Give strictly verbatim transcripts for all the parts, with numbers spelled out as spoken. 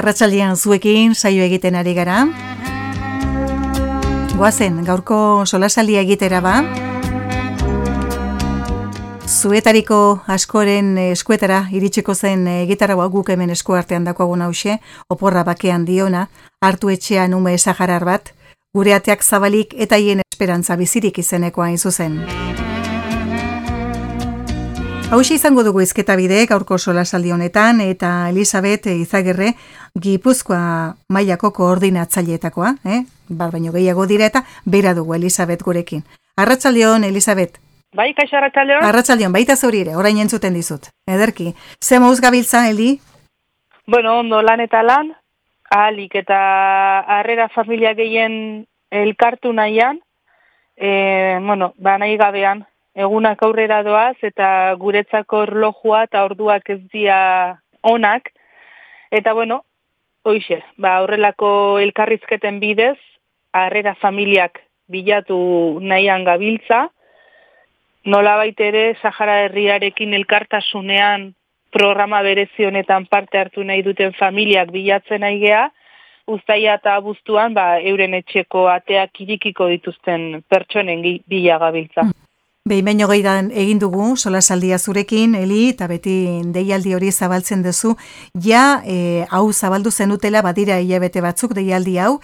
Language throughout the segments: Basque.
arratsaldean zuekin saio egiten ari gara. Goazen, gaurko solasaldia egitera ba. Zuetariko askoren eskuetara iritsiko zen gitarra guk hemen esku artean dakoagun hause, oporra bakean diona, hartu etxean ume saharar bat, gure ateak zabalik eta hien esperantza bizirik izenekoa hain zuzen. Hauxe izango dugu izketa bide gaurko solasaldi honetan eta Elisabet Izagirre Gipuzkoa mailako koordinatzaileetakoa, eh? Bar baino gehiago dira eta bera dugu Elisabet gurekin. Arratsaldeon Elisabet. Bai, kaixo arratsaldeon. Arratsaldeon baita zuri ere, orain entzuten dizut. Ederki. Ze moduz gabiltza, Eli? Bueno, ondo lan eta lan, ahalik eta harrera familia gehien elkartu nahian, e, bueno, ba nahi gabean, egunak aurrera doaz eta guretzako erlojua eta orduak ez dira onak, eta bueno, hoixe, ba horrelako elkarrizketen bidez, harrera familiak bilatu nahian gabiltza, nolabait ere Sahara herriarekin elkartasunean programa berezi honetan parte hartu nahi duten familiak bilatzen nahi gea, uztaila eta abuztuan ba, euren etxeko ateak irikiko dituzten pertsonen bila gabiltza. Behin baino gehiagoan egin dugu solasaldia zurekin, Eli, eta beti deialdi hori zabaltzen duzu, ja e, hau zabaldu zenutela badira hilabete batzuk deialdi hau,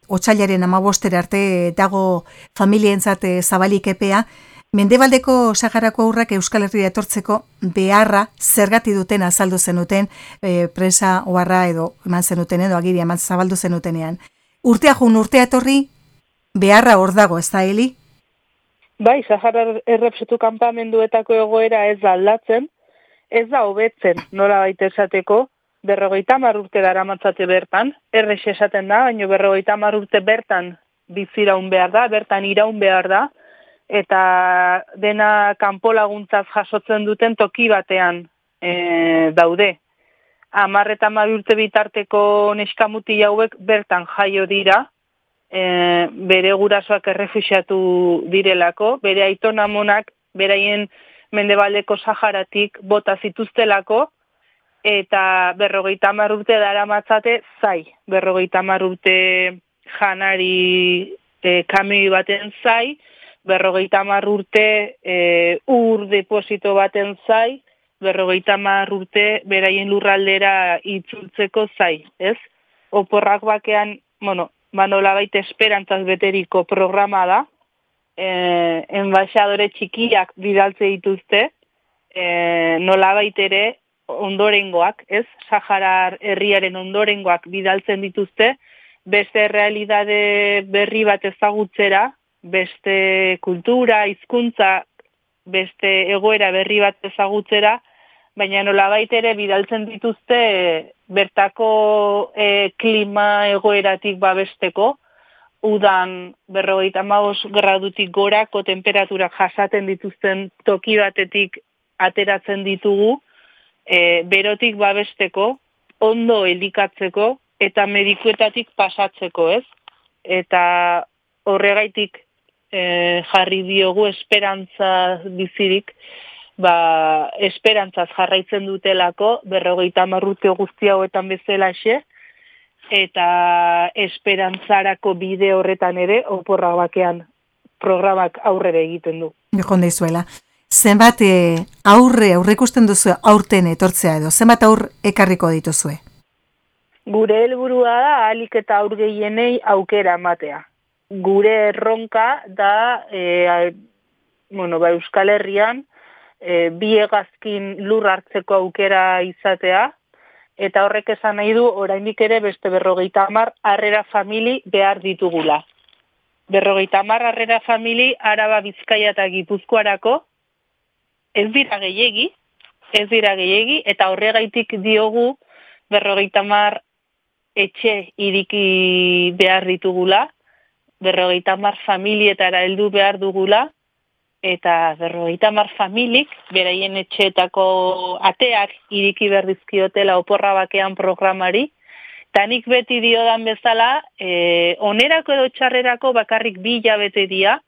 otsailaren hamabostera arte dago familientzat zabalik epea, Mendebaldeko Saharako aurrak Euskal Herria etortzeko beharra zergati duten azaldu zenuten e, presa oharra edo eman zenuten edo agiria eman zabaldu zenutenean. Urtea jun urtea etorri beharra hor dago, ez da, Eli? Bai, Sahara errepsetu kanpamenduetako egoera ez da aldatzen, ez da hobetzen nola baita esateko, berrogeita hamar urte daramatzate bertan, errex esaten da, baina berrogeita hamar urte bertan biziraun behar da, bertan iraun behar da, eta dena kanpo laguntzaz jasotzen duten toki batean e, daude. Hamar eta hamar urte bitarteko neskamuti hauek bertan jaio dira, e, bere gurasoak errefuxiatu direlako, bere aiton amonak beraien Mendebaldeko Saharatik bota zituztelako, eta berrogeita hamar urte daramatzate zai, berrogeita hamar urte janari e, kamioi baten zai, berrogeita hamar urte e, ur deposito baten zai, berrogeita hamar urte beraien lurraldera itzultzeko zai, ez? Oporrak bakean, bueno, manolabait esperantzaz beteriko programa da, e, enbaixadore txikiak bidaltze dituzte, e, nolabait ere ondorengoak, ez? Saharar herriaren ondorengoak bidaltzen dituzte, beste realidade berri bat ezagutzera, beste kultura, hizkuntza, beste egoera berri bat ezagutzera, baina nolabait ere bidaltzen dituzte bertako e, klima egoeratik babesteko, udan berrogeita hamabost gradutik gorako temperaturak jasaten dituzten toki batetik ateratzen ditugu, e, berotik babesteko, ondo elikatzeko eta medikuetatik pasatzeko, ez? Eta horregaitik E, jarri diogu esperantza bizirik, ba, esperantzaz jarraitzen dutelako, berrogeita hamar urte guzti hauetan bezalaxe, eta esperantzarako bide horretan ere, oporra bakean programak aurrera egiten du. Jonde izuela. Zenbat e, aurre, aurre ikusten duzu aurten etortzea edo, zenbat aur ekarriko dituzue? Gure helburua da, ahalik eta aur gehienei aukera ematea. Gure erronka da e, bueno, ba, Euskal Herrian e, bi hegazkin lur hartzeko aukera izatea, eta horrek esan nahi du oraindik ere beste berrogeita hamar harrera famili behar ditugula. Berrogeita hamar harrera famili Araba, Bizkaia eta Gipuzkoarako ez dira gehiegi, ez dira gehiegi, eta horregaitik diogu berrogeita hamar etxe iriki behar ditugula, berrogeita hamar familietara heldu behar dugula, eta berrogeita hamar familik beraien etxeetako ateak iriki behar dizkiotela oporra bakean programari, eta nik beti diodan bezala, e, onerako edo txarrerako bakarrik bi hilabete dira,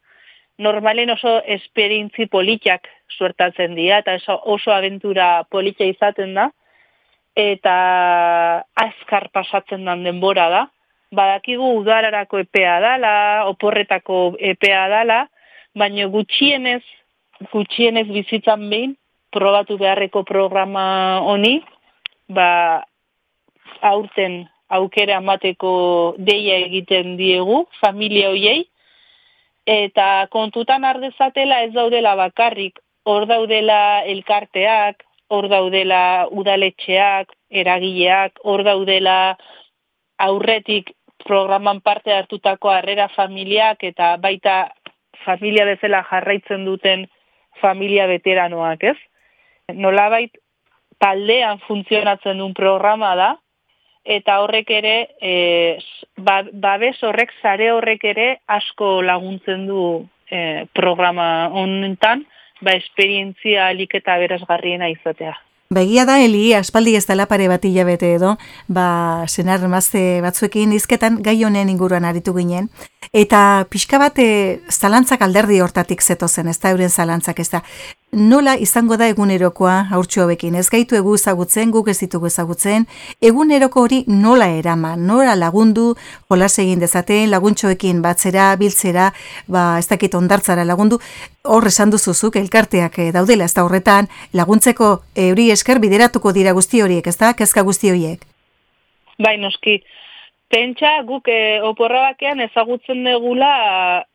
normalen oso esperientzi politak suertatzen dira, eta oso abentura polita izaten da, eta azkar pasatzen den denbora da. Badakigu udararako epea dala, oporretako epea dala, baina gutxienez, gutxienez bizitzan behin, probatu beharreko programa honi, ba, aurten aukera emateko deia egiten diegu, familia hoiei, eta kontutan ardezatela ez daudela bakarrik, hor daudela elkarteak, hor daudela udaletxeak, eragileak, hor daudela aurretik programan parte hartutako harrera familiak eta baita familia bezala jarraitzen duten familia veteranoak, ez? Nolabait taldean funtzionatzen duen programa da, eta horrek ere, e, babes horrek, sare horrek ere asko laguntzen du e, programa honetan, ba esperientzia alik eta berazgarriena izatea. Begia da, Eli, aspaldi ez dela pare bat hilabete edo, ba, senar emazte batzuekin izketan gai honen inguruan aritu ginen, eta pixka bat e, zalantzak alderdi hortatik zetozen, ez da euren zalantzak, ez da. Nola izango da egunerokoa haurtxo hauekin? Ez gaitu egu ezagutzen, guk ez ditugu ezagutzen, eguneroko hori nola eraman, nola lagundu, jolas egin dezaten, laguntxoekin batzera, biltzera, ba, ez dakit ondartzara lagundu, hor esan duzuzuk, elkarteak daudela, ez da horretan, laguntzeko euri esker bideratuko dira guzti horiek, ez da, kezka guzti horiek? Bai, noski. Pentsa, guk e, oporra bakean ezagutzen degula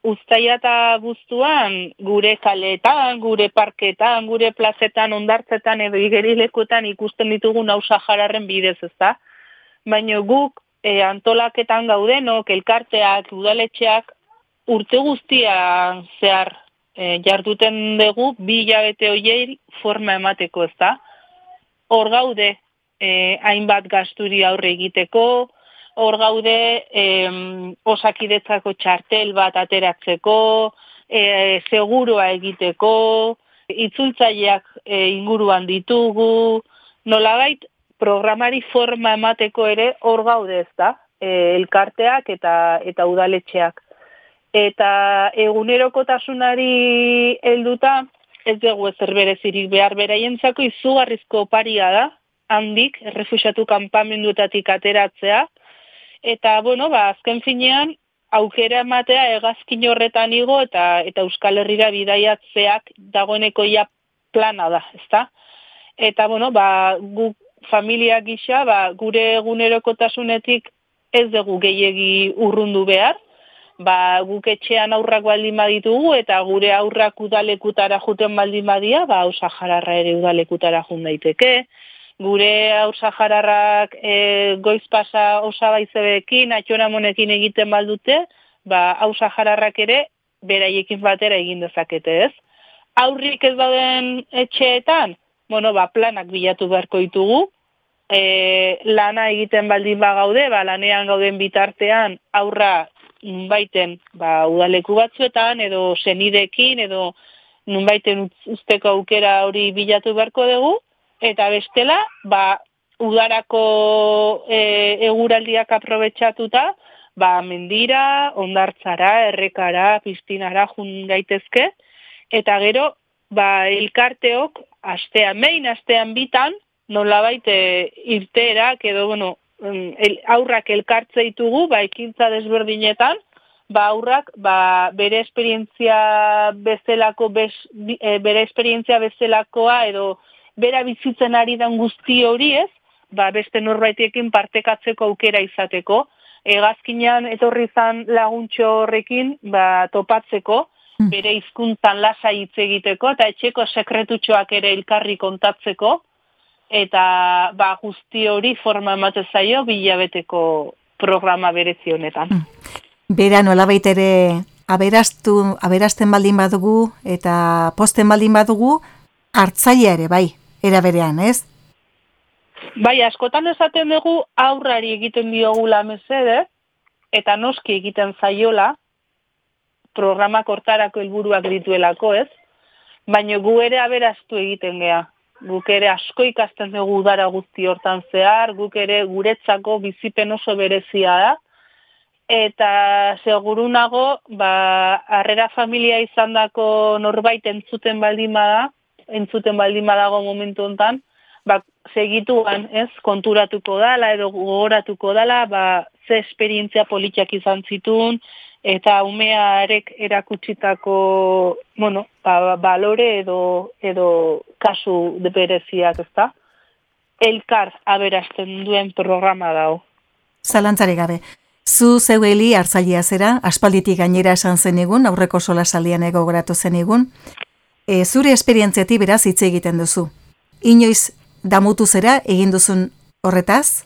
uztaila eta guztuan gure kaleetan, gure parketan, gure plazetan, ondartzetan edo igerilekuetan ikusten ditugun hausa jararren bidez, ezta? Baina guk e, antolaketan gaudenok, elkarteak, udaletxeak urte guztian zehar e, jarduten dugu bi hilabete horiei forma emateko, ezta? Hor gaude e, hainbat gasturi aurre egiteko, hor gaude eh, osakidetzako txartel bat ateratzeko, eh, segurua egiteko, itzultzaileak eh, inguruan ditugu, nolabait programari forma emateko ere hor gaude, ez da, eh, elkarteak eta, eta udaletxeak. Eta egunerokotasunari helduta, ez dugu ezer berezirik behar beraientzako izugarrizko oparia da, handik, errefuxiatu kanpamenduetatik ateratzea, eta, bueno, ba, azken finean, aukera ematea hegazkin horretan igo eta eta Euskal Herrira bidaiatzeak dagoeneko ja plana da, ezta? Eta, bueno, ba, gu familia gisa, ba, gure egunerokotasunetik ez dugu gehiegi urrundu behar, ba, guk etxean aurrak baldin baditugu eta gure aurrak udalekutara juten baldin badia, ba, Hausa Jararra ere udalekutara jun daiteke, gure Hausa Jararrak e, goiz pasa osabaizebekin, atxoramonekin egiten baldute, ba, Hausa Jararrak ere beraiekin batera egin dezakete, ez? Aurrik ez dauden etxeetan, bueno, ba, planak bilatu beharko ditugu, e, lana egiten baldin bagaude, ba, lanean gauden bitartean aurra nunbaiten ba, udaleku batzuetan, edo senidekin, edo nunbaiten usteko aukera hori bilatu beharko dugu, eta bestela, ba, udarako e, eguraldiak aprobetxatuta, ba, mendira, ondartzara, errekara, piztinara jun gaitezke, eta gero, ba, elkarteok, astean behin, astean bitan, nolabait e, irteerak, edo, bueno, el, aurrak elkartze ditugu, ba, ekintza desberdinetan, ba, aurrak, ba, bere esperientzia bezalako, bez, e, bere esperientzia bezalakoa, edo, bera bizitzen ari dan guzti hori ez, ba, beste norbaitiekin partekatzeko aukera izateko. Hegazkinean etorri izan laguntxo horrekin ba, topatzeko, bere hizkuntzan lasa hitz egiteko, eta etxeko sekretutxoak ere elkarri kontatzeko, eta ba, guzti hori forma ematen zaio bilabeteko programa berezi honetan. Bera nolabait ere aberastu, aberasten baldin badugu eta posten baldin badugu, hartzailea ere bai. Era berean, ez? Bai, askotan esaten dugu aurrari egiten diogula mesede, eta noski egiten zaiola, programak hortarako helburuak dituelako, ez? Baina gu ere aberastu egiten gea. Guk ere asko ikasten dugu udara guzti hortan zehar, guk ere guretzako bizipen oso berezia da, eta segurunago, ba, harrera familia izandako norbait entzuten baldin bada, entzuten baldin badago momentu hontan, ba, segituan, ez, konturatuko dala edo gogoratuko dala, ba, ze esperientzia politiak izan zituen, eta umearek erakutsitako, bueno, ba, balore edo, edo kasu bereziak, ezta? Elkar aberasten duen programa dao. Zalantzari gabe. Zu zeueli hartzailea zera, aspalditik gainera esan zen egun, aurreko solasaldian egogoratu zen egun. E, zure esperientziatik beraz hitz egiten duzu. Inoiz damutu zera egin duzun horretaz?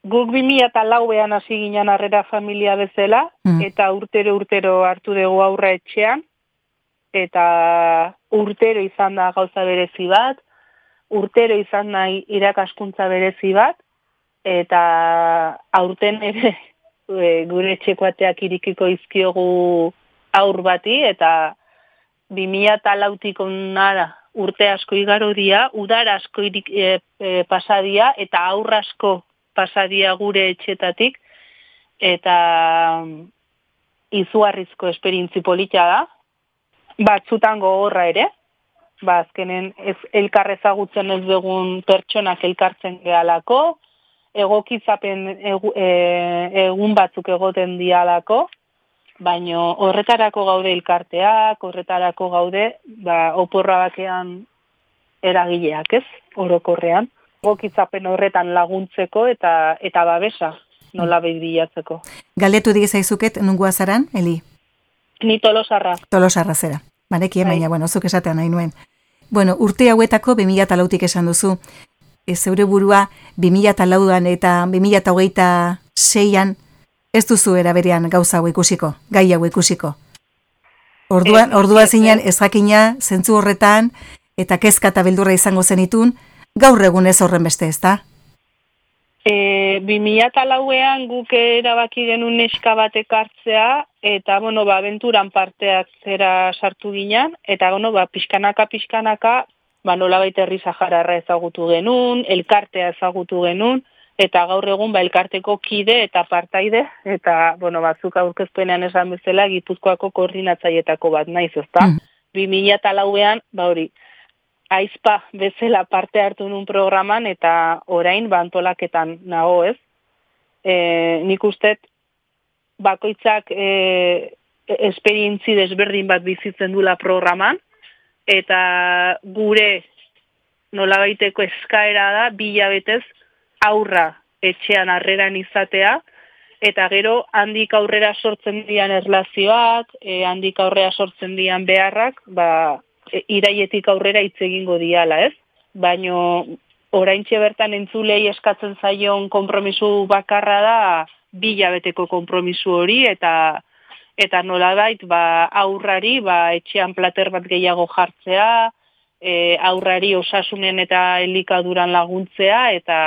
Guk bi mila eta lauean hasi ginen harrera familia bezala, mm. eta urtero urtero hartu dugu aurra etxean, eta urtero izan da gauza berezi bat, urtero izan nahi irakaskuntza berezi bat, eta aurten ere e, gure etxekoateak irikiko izkiogu aur bati, eta bi mila eta lautik onara urte asko igaro dia, udar asko irik, e, e, pasadia, eta aur asko pasadia gure etxetatik, eta izugarrizko esperientzi polita da, batzutan gogorra ere, ba, azkenen ez, elkar ezagutzen ez dugun pertsonak elkartzen gehalako, egokizapen egu, e, egun batzuk egoten dialako, baino horretarako gaude elkarteak, horretarako gaude, ba, oporra bakean eragileak, ez, orokorrean. Egokitzapen horretan laguntzeko eta eta babesa nola bilatzeko. Galdetu digezaizuket nungoa zaran, Eli? Ni Tolosarra. Tolosarra zera. Banekien, baina, bueno, zuk esatean nahi nuen. Bueno, urte hauetako bi mila eta lautik esan duzu. Ez zeure burua bi mila eta lauan eta bi mila eta hogeita seian ez duzu eraberean gauza hau ikusiko, gai hau ikusiko. Orduan, e, ordua zinean ez jakina, zentzu horretan, eta kezka eta beldurra izango zenitun, gaur egun ez horren beste, ez da? E, bi mila eta lauean guk erabaki genuen neska batek hartzea, eta, bueno, ba, abenturan parteak zera sartu ginen, eta, bueno, ba, pixkanaka, pixkanaka, ba, nolabait herri sahararra ezagutu genuen, elkartea ezagutu genuen, eta gaur egun, ba, elkarteko kide eta partaide, eta, bueno, batzuk aurkezpenean esan bezala, Gipuzkoako koordinatzaietako bat naiz, ezta? Mm. bi mila eta lauean, ba, hori, aizpa bezala parte hartu nun programan, eta orain bantolaketan nago, ez? E, nik ustet, bakoitzak e, esperientzi desberdin bat bizitzen dula programan, eta gure nolabaiteko eskaera da, bilabetez aurra etxean harreran izatea, eta gero handik aurrera sortzen dian erlazioak, e, handik aurrera sortzen dian beharrak, ba, iraietik aurrera hitz egingo diala, ez? Baino oraintxe bertan entzulei eskatzen zaion konpromisu bakarra da bilabeteko konpromisu hori, eta eta nolabait ba aurrari ba etxean plater bat gehiago jartzea, e, aurrari osasunen eta elikaduran laguntzea eta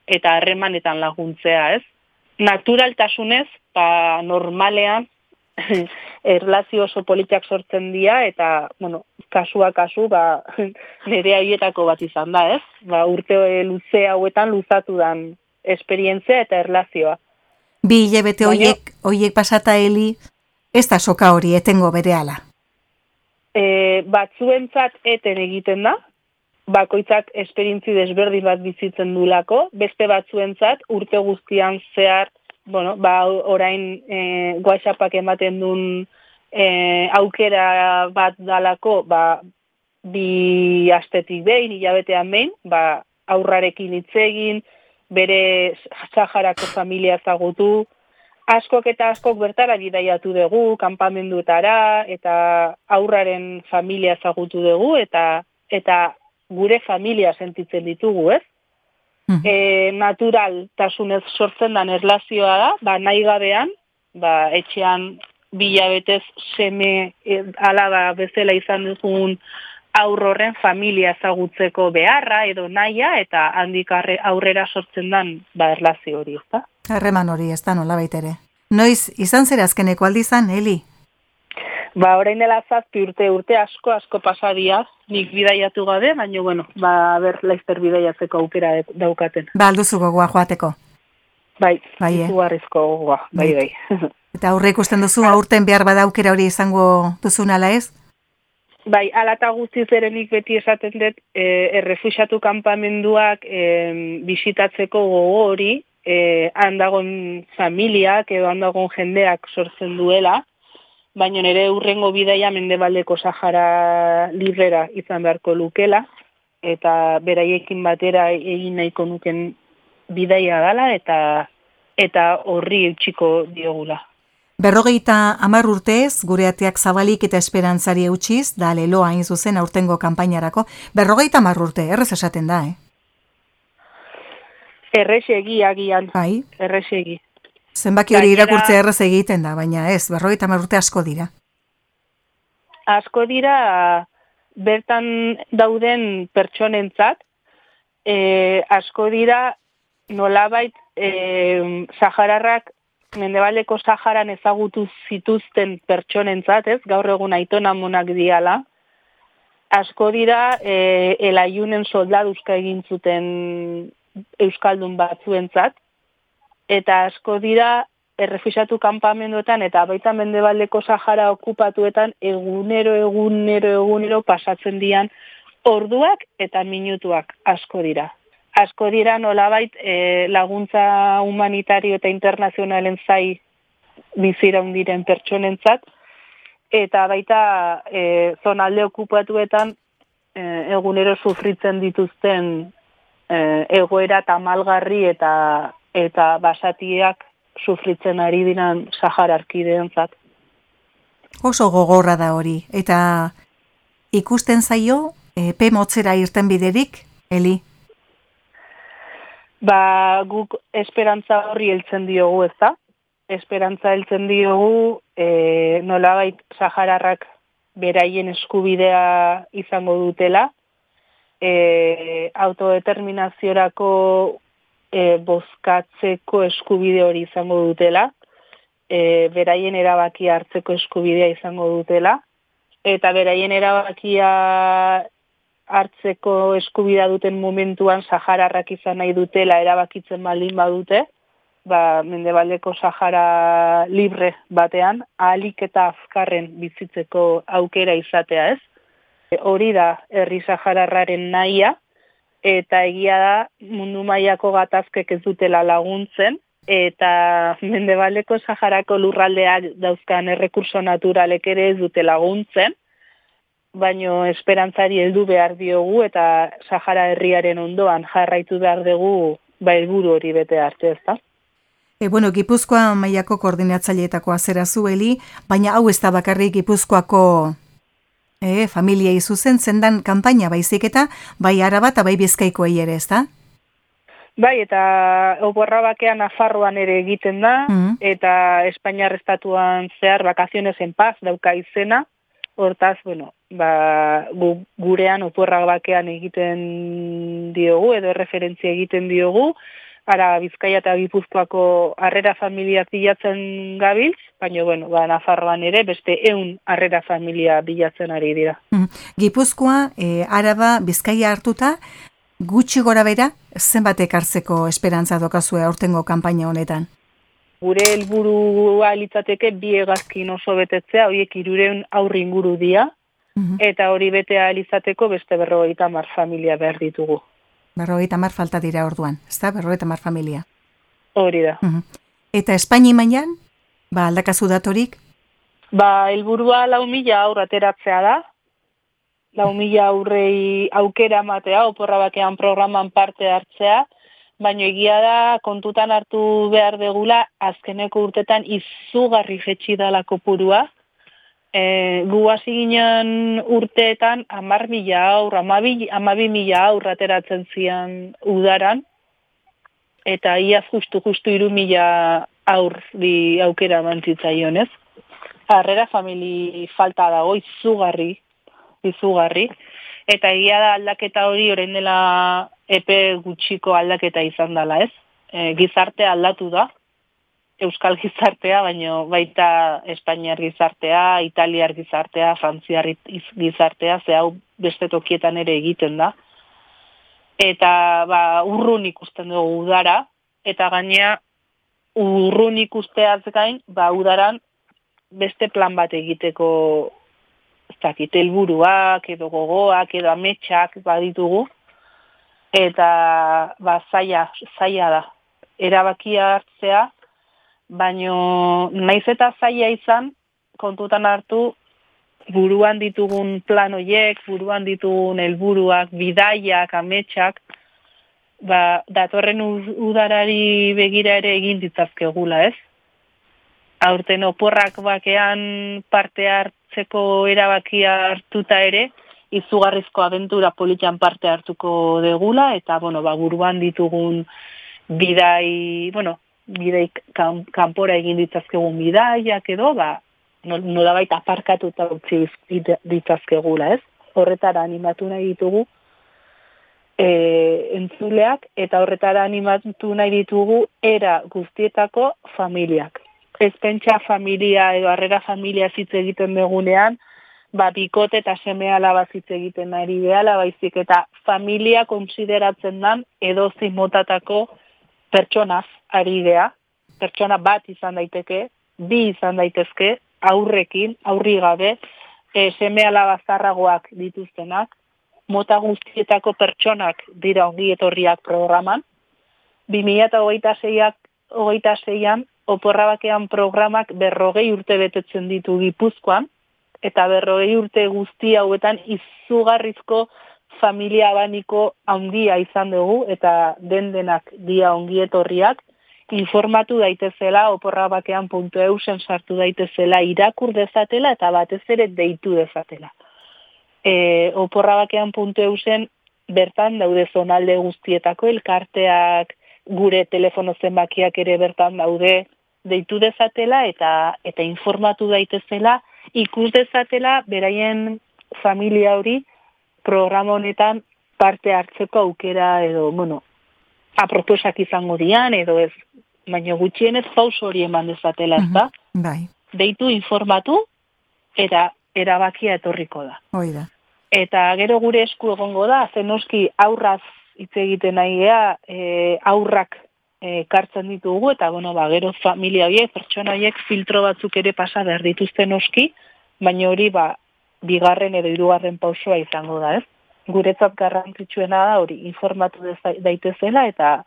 eta harremanetan laguntzea, ez? Naturaltasunez, ba normalean erlazio oso politak sortzen dira, eta, bueno, kasua kasu, ba, nire haietako bat izan da, ez? Ba, urte luze hauetan luzatu dan esperientzia eta erlazioa. Bi hilabete hoiek, hoiek pasata, Eli, ez da soka hori etengo berehala? E, batzuentzat eten egiten da, bakoitzak esperientzi desberdin bat bizitzen dulako, beste batzuentzat urte guztian zehar, bueno, ba, orain e, WhatsAppak ematen duen e, aukera bat dalako, ba, bi astetik behin, hilabetean behin, ba, aurrarekin hitz egin, bere Saharako familia ezagutu, askok eta askok bertara bidaiatu dugu, kanpamenduetara, eta aurraren familia ezagutu dugu, eta eta gure familia sentitzen ditugu, ez? E, naturaltasunez sortzen dan erlazioa da, ba, nahi gabean, ba, etxean bilabetez seme e, alaba bezala izan dugun aurroren familia ezagutzeko beharra edo naia, eta handik aurrera sortzen dan ba, erlazio hori, ezta? Harreman hori, ez da nola baitere. Noiz, izan zer azkeneko aldizan, Eli? Ba, orain dela zazpi urte, urte asko, asko pasadia, nik bidaiatu gabe, baina, bueno, ba, ber, laizter bidaiatzeko aukera daukaten. Ba, alduzu gogoa joateko? Bai, bai eh? izugarrizko gogoa, bai, bai. Eta aurre ikusten duzu, aurten behar bada aukera hori izango duzun ala ez? Bai, alata guztiz erenik beti esaten dut, e, errefuxiatu kanpamenduak e, bisitatzeko gogo hori, e, handagon familiak edo handagon jendeak sortzen duela, baina nire urrengo bidaia Mendebaldeko Sahara librera izan beharko lukela, eta beraiekin batera egin nahiko nuken bidaia dala, eta eta horri eutxiko diogula. Berrogeita hamar urtez, gure ateak zabalik eta esperantzari eutxiz, da leloa hain zuzen aurtengo kanpainarako. Berrogeita hamar urte, errez esaten da, eh? Errexegi agian, Bai. errexegi. Zenbaki hori irakurtzea errez egiten da, baina ez, berrogeita hamar urte asko dira. Asko dira bertan dauden pertsonentzat, e, asko dira nolabait e, Sahararrak Mendebaldeko Saharan ezagutu zituzten pertsonentzat, ez? Gaur egun aitona monak diala. Asko dira e, elaiunen soldaduzka egin zuten euskaldun batzuentzat, eta asko dira errefuxiatu kanpamenduetan eta baita Mendebaldeko Sahara okupatuetan egunero, egunero, egunero pasatzen dian orduak eta minutuak asko dira. Asko dira nolabait e, laguntza humanitario eta internazionalen zai biziraun diren pertsonentzat, eta baita e, zonalde okupatuetan e, egunero sufritzen dituzten e, egoera tamalgarri eta eta basatiak sufritzen ari diran Sahara arkideentzat. Oso gogorra da hori, eta ikusten zaio epe motzera irten biderik, Eli? Ba, guk esperantza horri heltzen diogu, ez da? Esperantza heltzen diogu e, nolabait Sahararrak beraien eskubidea izango dutela, e, autodeterminaziorako e, bozkatzeko eskubide hori izango dutela, e, beraien erabakia hartzeko eskubidea izango dutela, eta beraien erabakia hartzeko eskubidea duten momentuan Sahararrak izan nahi dutela erabakitzen baldin badute, ba, Mendebaldeko Sahara libre batean, ahalik eta azkarren bizitzeko aukera izatea, ez? E, hori da herri Sahararraren nahia, eta egia da mundu mailako gatazkek ez dutela laguntzen, eta Mendebaldeko Saharako lurraldeak dauzkan errekurso naturalek ere ez dute laguntzen, baino esperantzari heldu behar diogu eta Sahara herriaren ondoan jarraitu behar dugu ba helburu hori bete arte, ezta? E, bueno, Gipuzkoa mailako koordinatzaileetakoa zera zueli, baina hau ez da bakarrik Gipuzkoako e, familiei zuzentzen dan kanpaina baizik eta bai Araba eta bai Bizkaikoei ere, ezta? Bai, eta oporra bakean Nafarroan ere egiten da, mm-hmm. eta Espainiar estatuan zehar Vacaciones en Paz dauka izena. Hortaz, bueno, ba, gu, gurean oporra bakean egiten diogu, edo referentzia egiten diogu, ara Bizkaia eta Gipuzkoako harrera familia bilatzen gabiltz, baina, bueno, ba, Nafarroan ere beste ehun harrera familia bilatzen ari dira. Gipuzkoa, e, Araba, Bizkaia hartuta, gutxi gora bera, zenbatek hartzeko esperantza dokazue aurtengo kanpaina honetan? Gure helburua litzateke bi hegazkin oso betetzea, horiek hirurehun aurri inguru dira, uh-huh. eta hori betea litzateko beste berrogeita hamar familia behar ditugu. Berrogeita hamar falta dira orduan, ezta? Berrogeita hamar familia. Hori da. Uh-huh. Eta Espaini mailan, ba aldakazu datorik? Ba, helburua lau mila aur ateratzea da, lau mila aurrei aukera matea, oporra bakean programan parte hartzea, baina egia da kontutan hartu behar degula azkeneko urtetan izugarri jetxi dala kopurua. E, gu hasi ginen urteetan hamar mila aur, hamabi mila aur ateratzen zian udaran, eta iaz justu justu hiru mila aurri aukera mantzitzaion, ez? Harrera famili falta dago izugarri, izugarri. Eta egia da aldaketa hori orain dela epe gutxiko aldaketa izan dela, ez? E, gizartea aldatu da, euskal gizartea, baina baita Espainiar gizartea, Italiar gizartea, Frantziar gizartea, ze hau beste tokietan ere egiten da. Eta ba, urrun ikusten dugu udara, eta gainea urrun ikusteaz gain, ba, udaran beste plan bat egiteko ez dakit, helburuak edo gogoak edo ametsak baditugu, eta ba, zaila, zaila da. Erabakia hartzea, baino naiz eta zaila izan, kontutan hartu, buruan ditugun plan horiek, buruan ditugun helburuak, bidaiak, ametsak, ba, datorren udarari begira ere egin ditzazkegula, ez? Aurten oporrak bakean parte hartzeko erabakia hartuta ere, izugarrizko abentura politan parte hartuko degula, eta, bueno, ba, buruan ditugun bidai, bueno, bidai kan, kanpora egin ditzazkegun bidaiak edo, ba, nolabait aparkatuta utzi ditzazkegula, ez? Horretara animatu nahi ditugu e, entzuleak, eta horretara animatu nahi ditugu era guztietako familiak. Ez pentsa familia edo harrera familia hitz egiten begunean, ba, bikote eta seme alaba hitz egiten ari behala, baizik eta familia konsideratzen dan edozein motatako pertsonaz ari gea, pertsona bat izan daiteke, bi izan daitezke, aurrekin, aurri gabe, e, seme alaba zarragoak dituztenak, mota guztietako pertsonak dira ongi etorriak programan, bi mila hogeita seian Oporra Bakean programak berrogei urte betetzen ditu Gipuzkoan, eta berrogei urte guzti hauetan izugarrizko familia abaniko handia izan dugu, eta den denak dia ongi etorriak, informatu daitezela, oporrabakean puntu eusen sartu daitezela, irakur dezatela, eta batez ere deitu dezatela. E, oporrabakean puntu eusen bertan daude zonalde guztietako elkarteak, gure telefono zenbakiak ere bertan daude, deitu dezatela eta eta informatu daitezela, ikus dezatela beraien familia hori programa honetan parte hartzeko aukera edo, bueno, aproposak izango dian edo ez, baina gutxienez pauso hori eman dezatela, ez da? Uh-huh. Bai. Deitu informatu eta erabakia etorriko da. Hoi da. Eta gero gure esku egongo da, zenoski aurraz hitz egiten nahi gea, e, aurrak ekartzen ditugu, eta bueno, ba, gero familia horiek, pertsona horiek filtro batzuk ere pasa behar dituzten noski, baina hori ba, bigarren edo hirugarren pausoa izango da, ez? Guretzat garrantzitsuena da hori informatu daitezela eta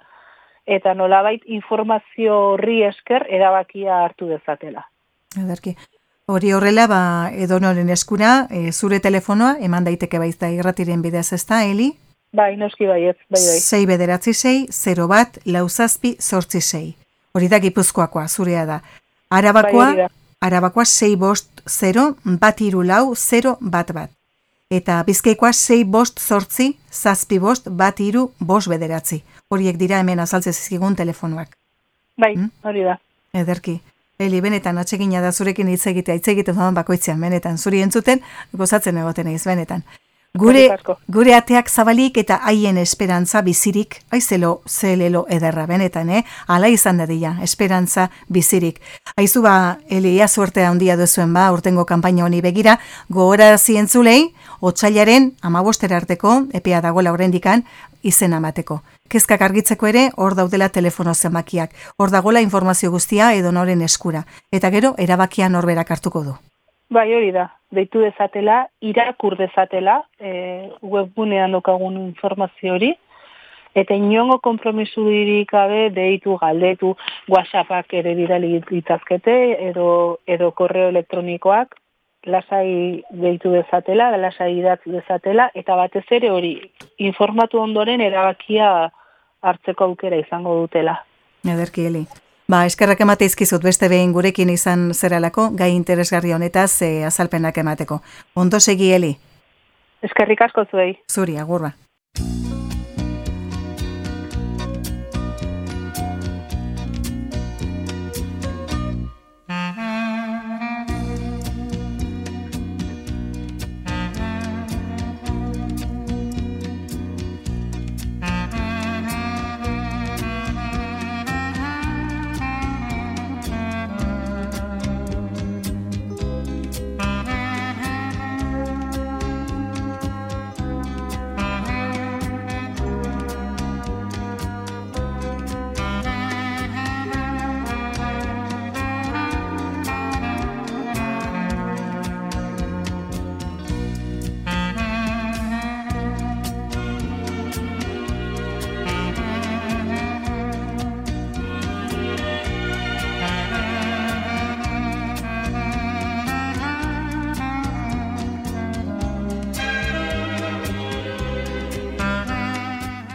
eta nolabait informazio horri esker erabakia hartu dezatela. Ederki. Hori horrela, ba, edonoren eskura, e, zure telefonoa, eman daiteke baizta irratiren bidez, ez da, Eli? Bai, noski baiet, bai, bai. Sei bederatzi sei, zero bat, lauzazpi, sortzi sei. Hori da Gipuzkoakoa, zurea da. Arabakoa, bai, Arabakoa sei bost, zero, bat iru lau, zero, bat bat. Eta Bizkaikoa sei bost, zortzi, zazpi bost, bat iru, bost bederatzi. Horiek dira hemen azaltze zizkigun telefonoak. Bai, hmm? Hori da. Ederki. Eli, benetan, atsegina da zurekin hitz egitea, hitz egiten doan bakoitzean, benetan, zuri entzuten, gozatzen egoten eiz, benetan. Gure, gure ateak zabalik eta haien esperantza bizirik, aizelo, zelelo ederra, benetan, eh? Ala izan dadila, esperantza bizirik. Aizu ba, Eli, ia suertea handia duzuen ba, urtengo kanpaina honi begira, gogora zientzulei, otsailaren amabostera arteko, epea dagoela oraindikan, izen amateko. Kezkak argitzeko ere, hor daudela telefono zenbakiak, hor dagoela informazio guztia edo noren eskura, eta gero, erabakia norberak hartuko du. Bai, hori da, deitu dezatela, irakur dezatela, e, webgunean dokagun informazio hori, eta inongo konpromisurik gabe deitu, galdetu, WhatsAppak ere bidali ditazkete, edo, edo korreo elektronikoak, lasai deitu dezatela, lasai idatz dezatela, eta batez ere hori, informatu ondoren erabakia hartzeko aukera izango dutela. Ederki, Eli. Ba, eskerrak emate izkizut beste behin gurekin izan zeralako, gai interesgarri honetaz e, azalpenak emateko. Ondo segi, Eli? Eskerrik asko zuei. Zuri, agurra.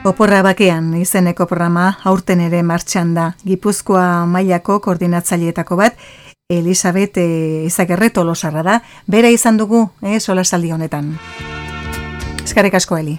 Oporra bakean izeneko programa aurten ere martxan da. Gipuzkoa mailako koordinatzaileetako bat, Elisabet e, Izagerre Tolosarra da. Bera izan dugu, eh, solasaldi honetan. Eskerrik asko, Eli.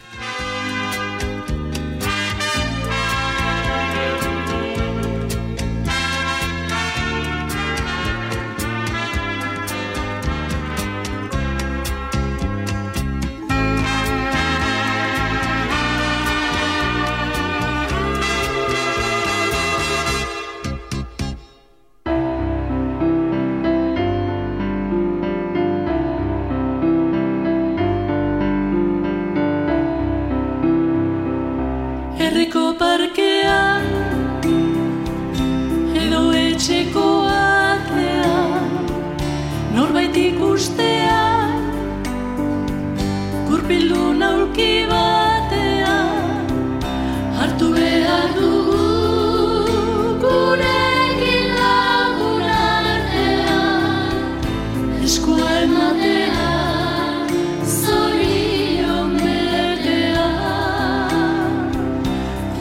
Herriko parkean edo etxeko atean norbait ikustean gurpildu naulki batean hartu behar dugu gurekin lagun artean eskua ematean zorion betean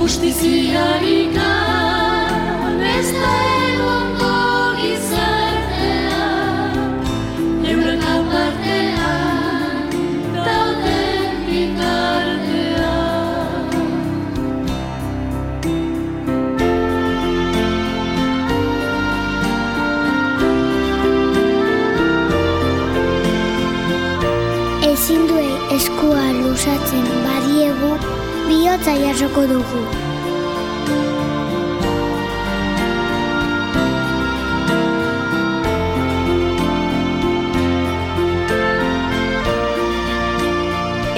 justiziarik ez da egongo gizartean euren apartean dauden bitartean. Ezin duei eskua luzatzen badiegu, bihotza jasoko dugu.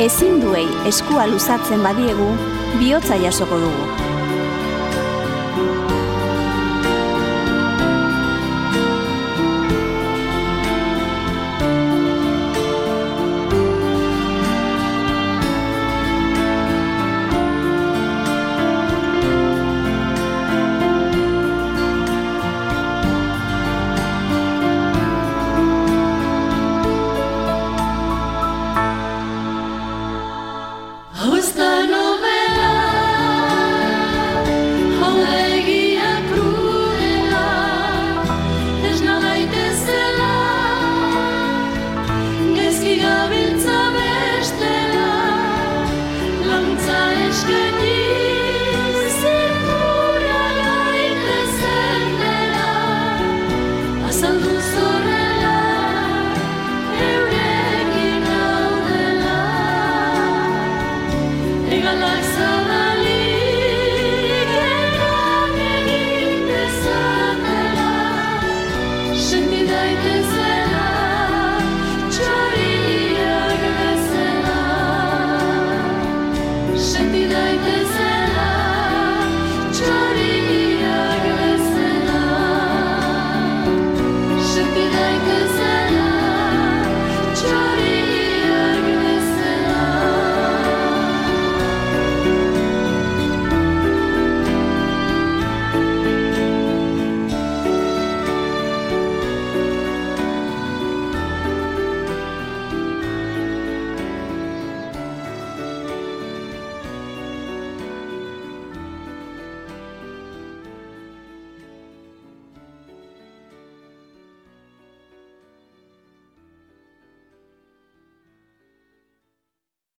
Ezin duei eskua luzatzen badiegu, bihotza jasoko dugu.